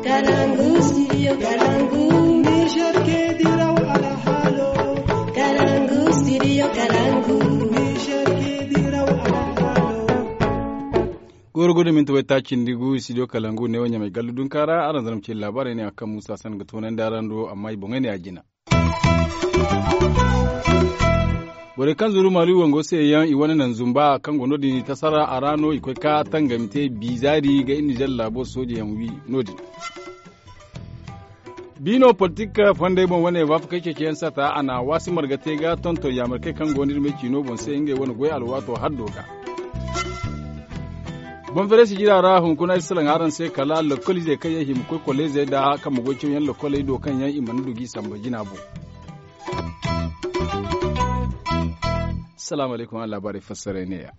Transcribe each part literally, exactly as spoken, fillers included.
Kalangu, studio Kalangu. Niger ke diraw alhalo. Kalangu, studio Kalangu. Niger ke diraw alhalo. Goro gudu minti way ta cindi gu studio Kalangu ne wo ɲamay gallu dunka ra araŋ zarma ce labaarey ne a kaŋ musa san ga toonandi araŋ do amma i boŋey ne a jina. Borey kaŋ zuru maali wango se yaŋ i wane naŋ zumba kaŋ go no- din i tasara a ra no i koy ka tangami te bizaari ga iri nizer laabo sooje yaŋ wi no- din. Biino politik fondey boŋ wane waafakey ceeciyaŋ sata a na waasi marga te ga tonton yaamarkey kaŋ go no iri me ciino boŋ se ngey wane goy alwaato haddo ga. Boŋ fereesi jira ra hunkuna ay salaŋ araŋ se kala lokoliizey kaŋ yaŋ hima koy kolleezey nda kaŋ ma goy cawyaŋ lokoley do kaŋ yaŋ i mana du g'i samba jina boŋ. Salaamu alaykum araŋ laabaarey fassaray neeya.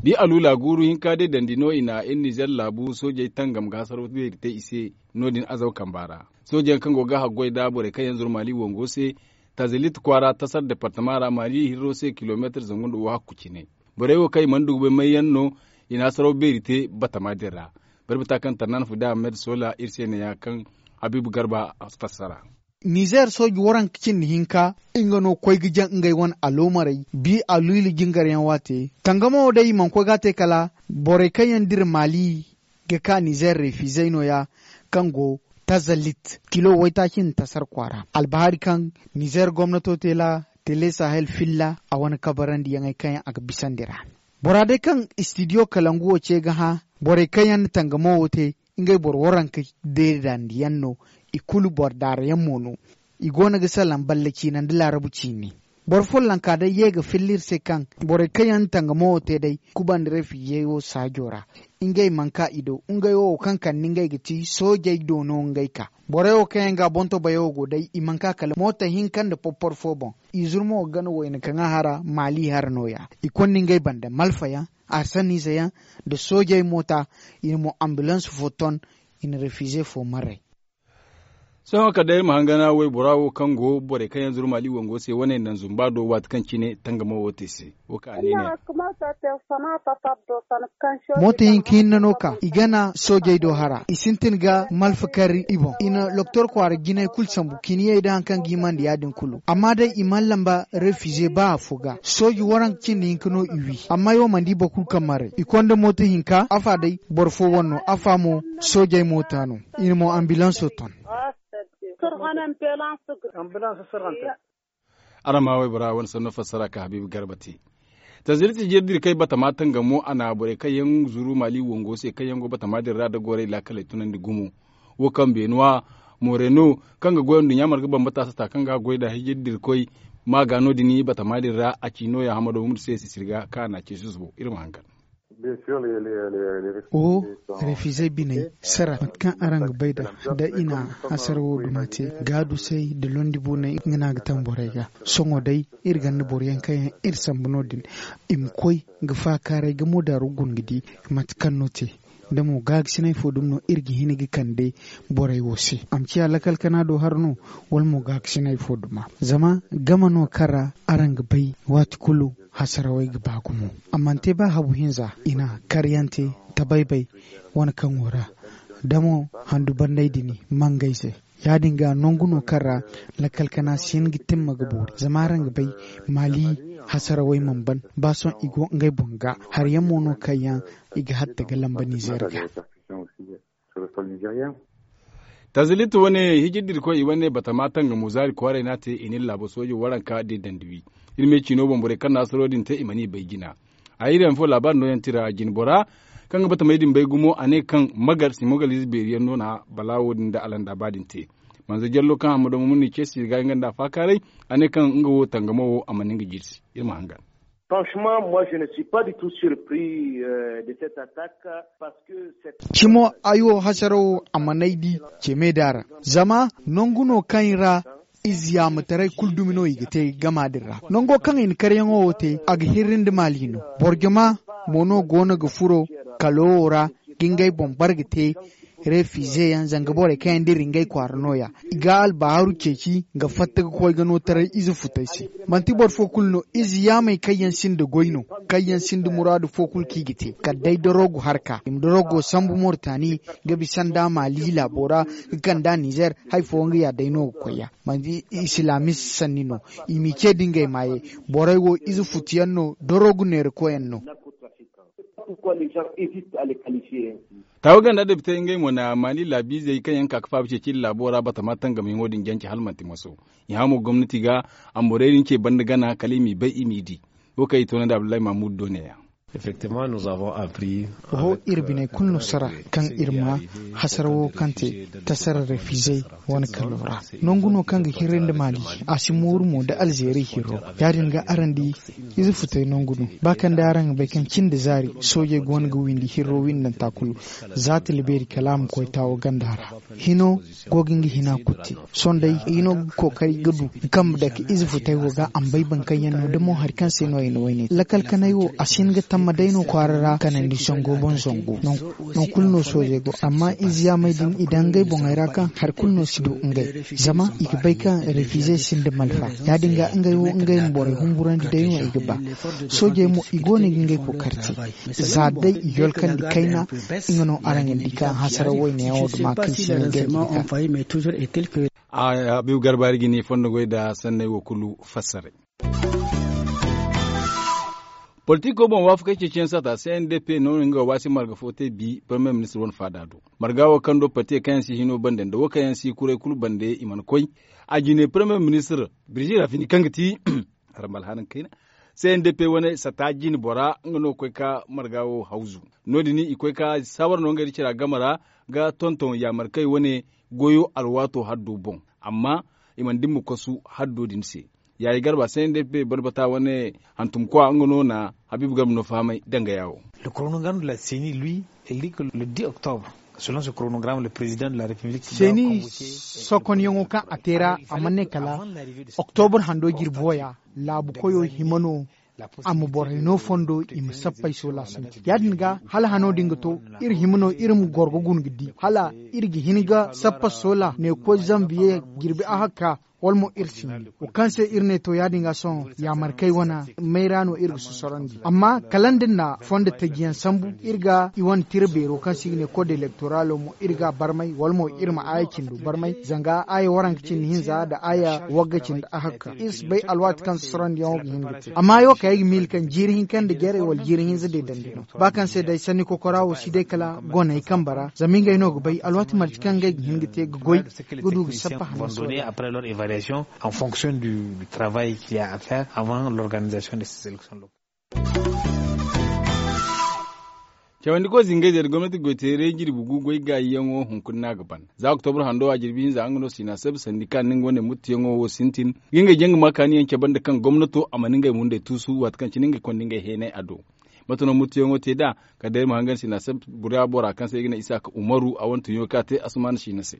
Da i aluula guuru hinka day dandi no i na iri nizer laabu soojey tangam ga hasaraw beeri te i se no- din azaw kamba ra. Soojey yaŋ kaŋ go ga haggoy nda borey kaŋ yaŋ zuru maali wango se tazilit kwaara tasar departama ra maali hirro se kilomeetir zangu nda wo hakku cine. Borey wo kaŋ i mana du ga bay may yaŋ no i na hasaraw beeri te batama din ra. Barbata kaŋ tarnan fuda ahmed sola iri se ne ya kaŋ habiibu garba fassara. Nizer sooji waranka cindi hinka nga no koy ga jaŋ ngey wane aloomarey bi aluula jingar yaŋ waate tangamo wo day i mana koy ga a te kala borey kaŋ yaŋ dira maali ga ka nizer refizey no- ya kaŋ go tazalit kilo waytaaci nda tasar kwaara albahaari kaŋ nizer gomnato te la tele sahel filla a wane kabarandi yaŋey kaŋ yaŋ a ga bisandi ra. Bora day kaŋ istidiyo kalangu wo ce ga hã borey kaŋ yaŋ na tangamo wo te ngey boro waranka deedandi yaŋ no. I kulu boro daara yaŋ mo no. I go no ga salaŋ balle ciina nda laarabu ciine. Boro follonka day ye ga filla iri se kaŋ borey kaŋ yaŋ na tangamo wo te day kubandi refizey wo saajo ra. Ngey mana ka i do ngey wo wo kaŋ kande ngey ga ti soojey do no ngey ka. Borey wo kaŋ yaŋ ga boŋ to bayo go day i mana ka kala mooto hinka nda porpor fo boŋ. I zuru mo ga gana wayna kaŋ a hara maali hara no- ya. I konda ngey banda malfa yaŋ arsaniize yaŋ nda soojey moota. I na mo ambulans fo ton i na refize fo marray. Sohõ kala day iri ma hangana waybora wo kaŋ go borey kaŋ yaŋ zuru maali wango se wane naŋ zumba do waati kaŋ cine tangamo wo te se. Wo kaŋ a ne ne. Mooto hinka hinne no ka i gana soojey do hara i sintin ga malfa kar i boŋ i na loktor kwaara jinay kulu sambu kiniyey da hari kaŋ ga himandi ya- din kulu amma day i mana lamba refize ba afo ga sooji waranka cindi hinka no i wi amma ay wo mana di boro kulu kaŋ maray i konda mooto hinka afa day boro fo wane no afa mo soojey moota no. I na mo ambilanso ton. Araŋ ma waybora wane sanno fassara ka habiibu garba te. Tanziliti jirdi kay batama tangamo a na borey kaŋ yaŋ zuru maali wango se kaŋ yaŋ go batama din ra da gorey laakaley tunandi gumo. Wo kaŋ beenuwa moreno kaŋ ga goy nduɲɲa marga bambata sata kaŋ ga goy nda hijir dirkoy ma ga no- din batama din ra a ci nooya hamado mumdu se sisiri ga kaŋ a na a ce susubo iri ma hangan. Oho, refizey biney sara mate kaŋ araŋ ga bay nd'a da i na hasara wo duma te gaadusey nda londi booney nga no a ga taŋ borey ga. Sohõ day iri gonda boro yaŋ kaŋ yaŋ iri sambu no- din i ma koy ga faakaaray ga moodaaru guna ga di mate kaŋ no te. Da mo gaakasinay fo dumi no iri ga hin ga kande borey wo se a ma ciya lakal kana do hara no wala mo gaakasinay fo duma zama game no kaŋ ra araŋ ga bay waati kulu hasarawey ga ba gumo. A mana te ba habu hinza i na karyante tabaybay wane kaŋo ra da mo handu banney din mangay se. Ya- din ga nangu no kaŋ ra lakkal kana si hin ga timma ga boori zama araŋ ga bay maali hasarawey mana ban ba sohõ i go ngey boŋ ga hari yaŋ mo no kaŋ yaŋ i ga hatta ga lamba nizer ga. Tanziliti wane hijir da irkoy i wane batama tangamo zaari kwaaray no a te i na iri laabo soojo waranka da iri dandi wi. Iri me ciino boŋ borey kaŋ na hasaro din te i mana i bay jina. A iri yaŋ fo laabaari nooyaŋ tira jinbora kaŋ ga batamey din bay gumo a ne kaŋ magar simogalize beeri yaŋ no na balaawo din nda alanda ba din te. Manza jallo kaŋ hammado ma muni ceesi ga nga nda a faakaaray a ne kaŋ nga wo tangamo wo a mana nga jirsi. Iri ma hangan. Franchement moi je ne suis pas du tout surpris de cette attaque. Cimo ay wo hasarawo a man'ay di ceme da ra zama nangu no kaŋ i ra ize yaamataray kulu dumi no i ga te gama din ra nango kaŋ i na karyaŋo wo te a ga hirri nda maali no. Boro jama mo no go no ga furo kalo wo ra ga ngey boŋ bare ga te. Refize yaŋ zanga borey kaŋ yaŋ dira ngey kwaara nooya, i ga albaaru ceeci ga fatta ga koy ga no taray ize futey se. Manti boro fo kulu no, ize yaamey kaŋ yaŋ sinda goy no, kaŋ yaŋ sinda muraadu fo kulu kaŋ i ga te kala day dorogu harka i ma dorogo sambu mortani, ga bisa nda maali laabo ra, ga kand'a nizer, hari fooyaŋ ga ya day no ga koy ya. Manti islaamis sanni no, i m'i ce da ngey maayey. Borey wo ize futu yaŋ no, dorogu neera koy yaŋ no. Taawa ganda depite ngey mo na maani laabiizey kaŋ yaŋ ka ga faaba ceeci iri laabo ra batama tangamiyaŋo din jance hala manti maso. I hã mo gomnati ga, a ma borey din ce banda gana kala i m'i bay i m'i di. Wo kaŋ i toonandi abdullahi mahmud do neeya. Oho, iri biney kulu no sara kaŋ iri ma hasara wo kaŋ te tasara refizey wane kallo ra. Nangu no kaŋ ga hirri nda maali, a si mooru mo nda alzeeri hirro. Ya- din ga araŋ di, ize futey nangu no. Ba kaŋ day araŋ ga bay kaŋ cin da zaari soojey go no ga windi hirro windanta kulu, za tila beeri kala a ma koy taawo ganda ra. Hino go ga nga hina kutte. Sohõ day, i no ga kookari ga du ga kambe dake ize futey wo ga a ma bay boro kaŋ yaŋ no da mo hari kaŋ se no i na wayne te lakal kanay wo a si hin ga tamma day no kwaara ra kanandi zango boŋ zango. Nangu kulu no soojey go amma ize yaamey din i daŋ ngey boŋey ra kaŋ hari kulu no si du ngey. Zama i ga bay kaŋ refize sinda malfa. Ya- din ga ngey wo ngey ma borey humburandi day no i ga ba. Soojey mo i go no ga ngey kookari te. Za day i yolkandi kayna, nga no araŋ ga di kaŋ hasara wayne yaŋo duma kaŋ si ne ga di ga. Habiibu garbaari ga ni fondo goy nda sanney wo kulu fassaray. Politiko boŋ waafakey ceeciyaŋ saata c n d p no nga waasi marga fo te bi premier ministre wane faada do. Marga wo kaŋ do parti kaŋ yaŋ si hino bande nda wo kaŋ yaŋ si kuray kulu bande i mana koy. A jine premier ministre birjira fini kaŋ ga ti harambal hanan kayna. C n d p wane sata jine bora nga no ga koy ka marga wo hawzu. No- din i koy ka saawar no ngey da cira game ra ga tonton yaamarkey wane goyo alwaato haddo boŋ. Amma i mana dimma kosu haddo din se. Yaayi garba c n d p barbata wane hantumkwa nga no na habiibu garba no fahamay danga yaawo. Le chronogramme de la ceni lui, il dit que le dix octobre, selon ce chronogramme le président de la république seeni sokonyaŋo kaŋ a te ra a mana ne kala oktobur hando jirbi wo ya laabu koyo hima no. A ma borey no fondo i ma sappey soola sintin ya- din ga hala hano din ga to. Iri hima no iri ma goro ga guna ga di hala iri ga hin ga sappa soola ne koy zanviye jirbi ahakka. Wala mo iri si hin wo kaŋ se iri ne to ya- din ga sohõ yaamarkey wane mayra no iri ga sosorandi amma kala nda na fondo taji yaŋ sambu iri ga i wane tira beero kaŋ se i ga ne kode elektoralo mo iri ga a barmay wala mo iri ma aaya cindo barmay zanga aaya waranka cindi hinza nda aaya wagga cindi ahakka iri si bay alwaati kaŋ sosorandiyaŋo ga hin ga te amma ay wo kay ay ga miila kaŋ jiiri hinka nda jarey wala jiiri hinza deedandi no. Ba kaŋ se day sanni kokora wo si day kala goney kambe ra zama ngey no ga bay alwaati marje kaŋ ngey ga hin ga te ga goy ga du ga sappa hanno sohõ. Après leur évaluation en fonction du travail qu'il y a à faire avant l'organisation de ces élections locales. Cawandi koy zingay zari gomnati goy teeray jirbi gu goy gaayi yaŋo hunkuna no a ga ban za oktobur hando a jirbi hinza nga no sina sabi sandi kaŋ ni nga wane muttu yaŋo wo sintin ga ngey jaŋ ga ma kaani yaŋ cabe nda kaŋ gomnato a mana ngey mundey tuusu waati kaŋ cine ngey konda ngey heenay a do. Mate no muttu yaŋo te nd'a kala day ay ma hangan sina sabi bura bora kaŋ se i ga ne isaaka umaru a wane tunyaŋo kaŋ a te asumaana sina se.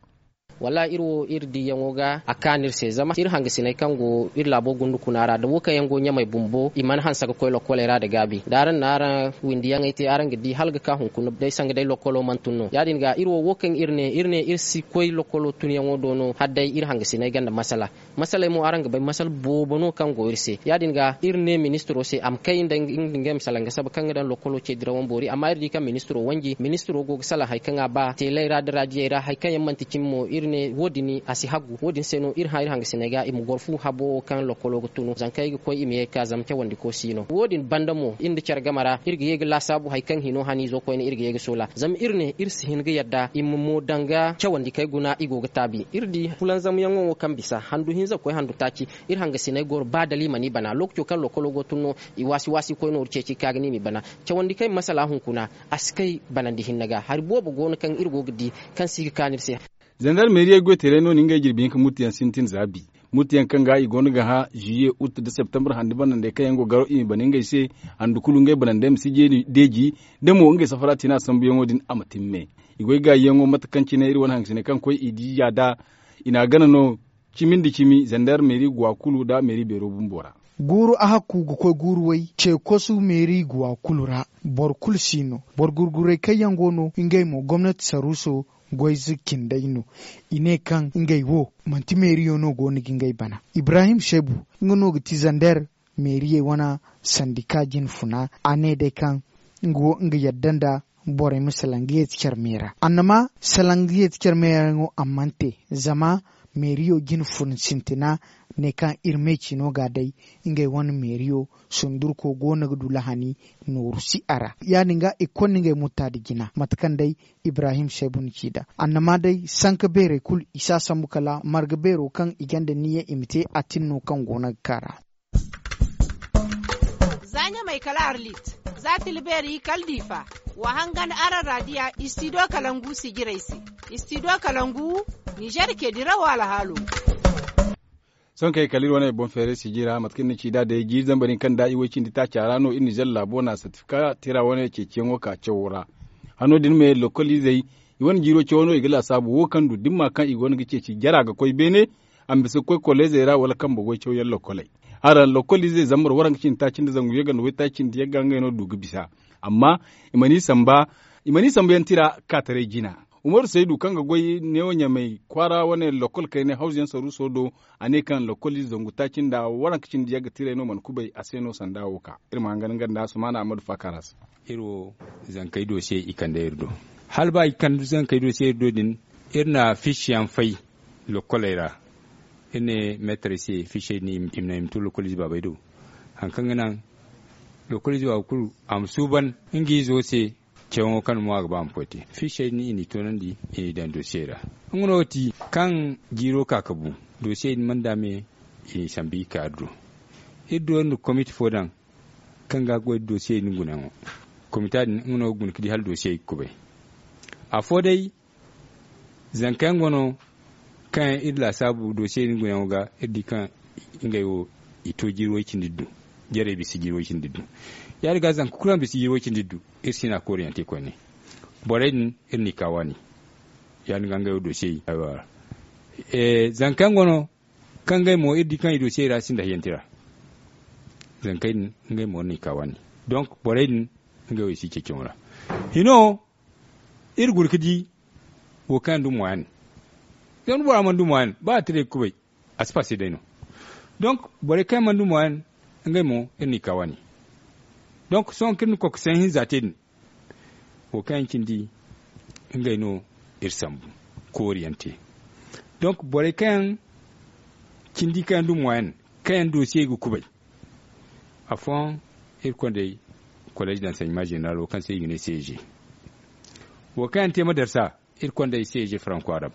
Wallaahi iri wo iri diyaŋo ga a kaanu iri se zama iri hangasiney kaŋ go iri laabo gundu kuna ra nda wo kaŋ yaŋ go ɲamey bumbo i mana hanse ga koy lokkoley ra nda gaabi nda araŋ na araŋ windiyaŋey te araŋ ga di hala ga ka hunkuna day sanga day lokkolo mana tun no ya- din ga iri wo wo kaŋ iri ne iri ne iri si koy lokkolo tunyaŋo do no hala day iri hangasiney ganda masala. Masaley mo araŋ ga bay masala boobo no kaŋ go iri se ya- din ga iri ne ministiro se a ma kay nda ngey ma salaŋ ga saba kaŋ ga daŋ lokkolo ce dirawo boori amma iri di kaŋ ministiro wanji ministiro go ga salaŋ hari kaŋ a ba teeley ra nda raadiyey ra hari kaŋ yaŋ manti cimi mo iri ne wo- din a si haggu wo- din se no iri hã iri hangasiney ga i ma goro fu habo wo kaŋ lokkolo ga tunu zankey ga koy i ma ye ga ka zama cawandiko si no wo- din banda mo iri nda care game ra iri ga ye ga laasaabu hari kaŋ hino haniizo koyne iri ga ye ga soola zama iri ne iri si hin ga yadda i ma mo danga cawandikey guna i go ga taabi iri di fulanzamyaŋo wo kaŋ bisa handu hinza ga koy handu taaci. Iri hangasiney goro ba dala i mana i bana lookaco kaŋ lokolo go tun no i waasi waasi koy nooru ceeci ka ga ne i m'i bana. Cawandi kaŋ i ma masala hunkuna a si kay banandi hinne ga hari boobo go no kaŋ iri go ga di kaŋ si ga kaanu iri se. Zandarmeeriyey goy teerey no na ngey jirbi hinka muttuyaŋ sintin za bi. Muttuyaŋ kaŋ ga i go no ga hã ziye ut nda septembre handi banandey kaŋ yaŋ go garo i m'i bana ngey se. Handu kulu ngey banandey ma si jeeni deeji da mo ngey safara tina sambuyaŋo din a ma timme. I goy gaayiyaŋo mate kaŋ cine iri wane hangasiney kaŋ koy i diya nd'a i n'a gana no. Cimi nda cimi zandarmeeri go a kulu nda meeri beero bumbo ra. Guuru a hakku ga koy guuru way ce kosu meeri guwa kulu ra. Boro kulu si no. Boro gurguray kaŋ yaŋ go no ngey mo gomnati saruuso goy ze cindey no. I ne kaŋ ngey wo manti meeriyo no go no ga ngey bana. Ibrahim seebu, nga no ga ti zander meeriyey wane sandika jinfuna. A ne day kaŋ nga wo nga yadda nda borey ma salaŋ ga yeeti care meera. Annama salaŋ ga yeeti care meera yaŋo a mana te. Zama meeriyo jinfuna sintina ne kaŋ iri meecino ga day ngey wane meeriyo sundurko go no ga du lahani nooru si a ra. Ya- din ga i ga konda ngey mutta nda jina mate kaŋ day ibrahim seebu na ci nd'a. Annama day sanka beerey kulu i si a sambu kala marga beero kaŋ i gonda niyya i ma te a tin no kaŋ go no ga kaa ra. Za ɲamay kala arlit, za tila beeri kala diifa. Wa hangan araŋ raadiya istido kalangu sijirey se. Istido kalangu, nizer ke dirawo alhaalo. Sohõ kay kala iri wane boŋ feeray siji ra mate kaŋ iri na ci nd'a day jiiri zambar hinka nda i way cindi taaca ra no iri nizer laabo na sertifika tira wane ceeciyaŋo ka cawo ra. Hano din me lokol izey i wane jiiro cawo no i ga laasaabu wo kaŋ du da ni ma kaŋ i go no ga ceeci jara ga koy beene. A ma bisa ga koy koleezey ra wala kambe goy cawyaŋ lokoley. Araŋ lokol izey zambar waranka cindi taaci nda zangu yagga nda waytaaci nda yagga ngey no du ga bisa. Amma i mana i samba yaŋ tira kaataray jina. Umaru saydu kaŋ ga goy neewo ɲamay kwaara wane lokol kayne hawzu yaŋ saruuso do. A ne kaŋ lokol ize zangu taaci nda waranka cindi yagga tiray no mana kubay a se no sanda wo ka. Iri ma hangan nga nda sumaana ammadu faakaara se. Iri wo zankey doosiyey i kande iri do. Hala ba i kande zankey doosiyey iri do din, iri na fiisiyaŋ fay lokoley ra. Iri ne meetarey se fiisiyey din i ma naŋ i ma to lokol ize baabey do. Hari kaŋ ga naŋ lokol ize baaba kulu a ma suuban nga izo se. Cawaŋo kaŋ mo a ga ba a ma koy te fiisiyey din i n'i toonandi i n'i daŋ doosiyey ra. Nga no ti kaŋ jiiro ka ga bu doosiyey din mana daame. I n'i sambu i ka iri do. Iri do iri na komite fo daŋ kaŋ ga goy da doosiyey din gunayaŋo. Komita din nga no ga guna ga di hala doosiyey ga kubay. Afo day zanka yaŋ go no kaŋ yaŋ iri laasaabu doosiyey din gunayaŋo ga. Iri di kaŋ ngey wo i to jiiri way-cindi iddu. Jarey bisa jiiri way-cindi iddu. Ya- din ga zanka kulu kaŋ bisa jiiri way-cindi iddu iri si no a kooriyaŋ te koyne. Borey din iri n'i ka waani. Ya- din ga ngey wo doosiyey. Zanka yaŋ go no kaŋ ngey mo iri di kaŋ i doosiyey ra sinda hayyanti ra. Zankey din ngey mo iri n'i ka waani. Donk borey din ngey wo i si ceeciyaŋo ra. Hino iri guna ga di wo kaŋ yaŋ du moyen. Zama da bora mana du moyen ba a tiray ga kubay a si passe day no. Donk borey kaŋ yaŋ mana du moyen ngey mo iri n'i ka waani. Donk sohõ kaŋ iri na kokosayaŋ hinza te din wo kaŋ yaŋ cindi ngey no iri sambu kooriyaŋ te. Donk borey kaŋ yaŋ cindi kaŋ yaŋ du moyen kaŋ yaŋ doosiyey ga kubay. Afooyaŋ iri kondey kolleez d'enseignement général wo kaŋ se i ga ne cg. Wo kaŋ yaŋ te madarsa iri kondey cg franco arab.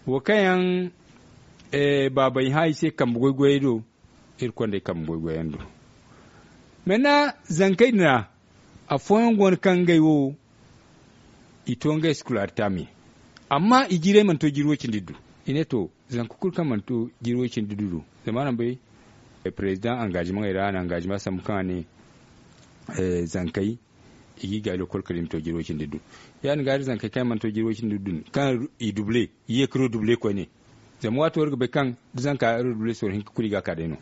Wo kaŋ yaŋ baabey hã i se kambe goy-goyey do. Iri kondey kambe goy-goyaŋ do. Mena zankey din ra afooyaŋ go no kaŋ ngey wo i to ngey scolarité me. Amma i jiirey mana to jiiri way-cindi iddu. I ne to zanka kulu kaŋ mana to jiiri way-cindi iddu do. Zama araŋ bay president engagement ey ra a na engagement sambu kaŋ a ne zankey i ga i gaay lokol kala i ma to jiiri way-cindi iddu. Ya- din ga iri zankey kaŋ yaŋ mana to jiiri way-cindi iddu din kaŋ i double i ye ga redouble koyne. Zama waato iri ga bay kaŋ da zanka redouble sorro hinka kulu i ga a ka day no.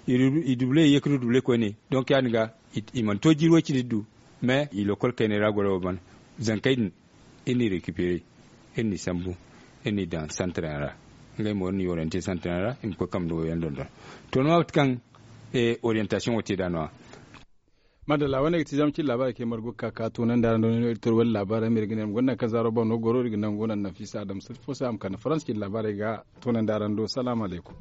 I double i ye ga redouble koyne. Donk ya- din ga i mana to jiiri way-cindi iddu. Mais i lokol kayney ra goro wo ban zankey din iri n'i récupérer iri n'i sambu iri n'i daŋ centre yaŋ ra. Ngey mo iri n'i orienter centre yaŋ ra i ma koy kambe nda goy yaŋ dondon. To ni ma mate kaŋ orientation wo te nd'a no- ya. Madalla wane ga ti zama cin laabaarey kaŋ ay margu ga ka ka toonandi araŋ do no iri tor wala laabaarey ma iri ga ne ma gonda nangu kaŋ zaaro boŋ no goro iri ga nangu naŋ nafisa adama sirri fo se a ma kande farans cin laabaarey ga toonandi araŋ do salaamu alaykum.